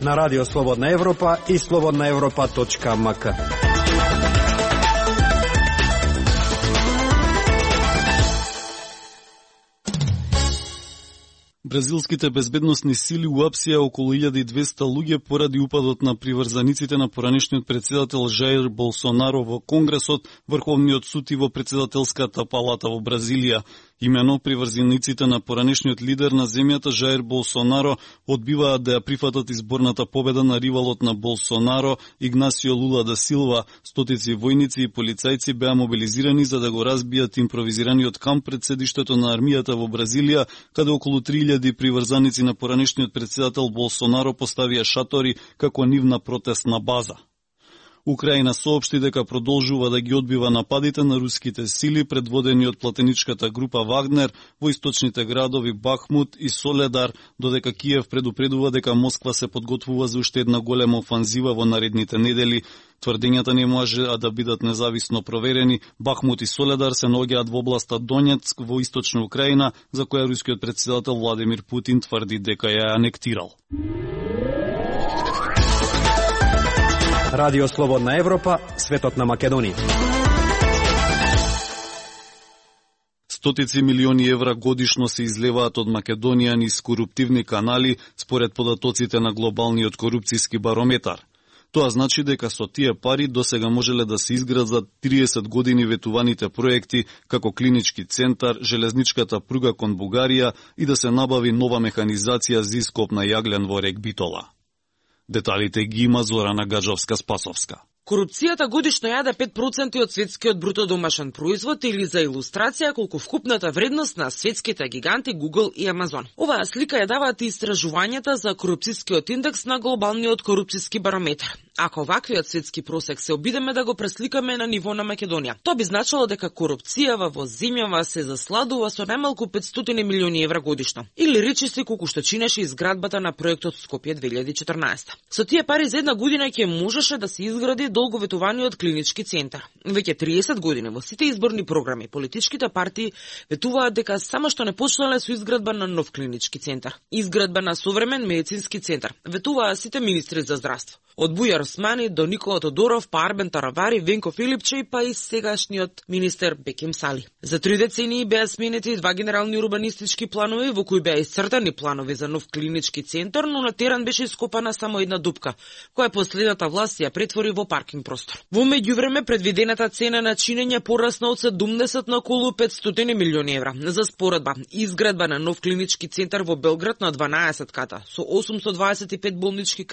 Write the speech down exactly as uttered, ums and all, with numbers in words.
На Радио Слободна Европа и слободна европа точка ем ка. Бразилските безбедносни сили уапсија околу илјада и двесте луѓе поради упадот на приврзаниците на поранешниот председател Жаир Болсонаро во Конгресот, Врховниот суд и во председателската палата во Бразилија. Имено приврзаниците на поранешниот лидер на земјата Жаир Болсонаро одбиваат да ја прифатат изборната победа на ривалот на Болсонаро Игнасио Лула да Силва. Стотици војници и полицајци беа мобилизирани за да го разбијат импровизираниот камп пред седиштето на армијата во Бразилија, каде околу три илјади приврзаници на поранешниот председател Болсонаро поставија шатори како нивна протестна база. Украина соопшти дека продолжува да ги одбива нападите на руските сили предводени од платеничката група Вагнер во источните градови Бахмут и Соледар, додека Киев предупредува дека Москва се подготвува за уште една голема офанзива во наредните недели. Тврдењата не може да бидат независно проверени. Бахмут и Соледар се наоѓаат во областа Донецк во источна Украина, за која рускиот председател Владимир Путин тврди дека ја анектирал. Радио Слободна Европа, светот на Македонија. Стотици милиони евра годишно се излеваат од Македонија низ коруптивни канали, според податоците на глобалниот корупцијски барометар. Тоа значи дека со тие пари досега можеле да се изградат триесет години ветуваните проекти, како клинички центар, железничката пруга кон Бугарија и да се набави нова механизација за ископ на јаглен во рек Битола. Деталите ги има Зорана Гаджовска-Спасовска. Корупцијата годишно јаде пет проценти од светскиот бруто домашен производ, или за илустрација колку вкупната вредност на светските гиганти Google и Amazon. Оваа слика ја даваат истражувањата за корупцијскиот индекс на глобалниот корупцијски барометар. Ако ваквиот светски просек се обидеме да го пресликаме на ниво на Македонија, тоа би значило дека корупцијава во земјава се засладува со најмалку петстотини милиони евра годишно. Или речиси колку што чинеше изградбата на проектот Скопје две илјади и четрнаесета. Со тие пари за една година ќе можеше да се изгради долговетуваниот клинички центар. Веќе триесет години во сите изборни програми политичките партии ветуваат дека само што не почнале со изградба на нов клинички центар, изградба на современ медицински центар, ветуваа сите министри за здравство. Од Бујар Османи до Никола Тодоров, па Арбен Таравари, Венко Филипче, па и сегашниот министер Беким Сали. За три децении беа сменети два генерални урбанистички планови во кои беа исцртани планови за нов клинички центар, но на терен беше ископана само една дупка, која последната власт ја претвори во паркинг простор. Во меѓувреме предвидената цена на чинење порасна од седумдесет на околу петстотини милиони евра. За споредба, изградба на нов клинички центар во Белград на дванаесет ката со осумстотдваесет и пет болнички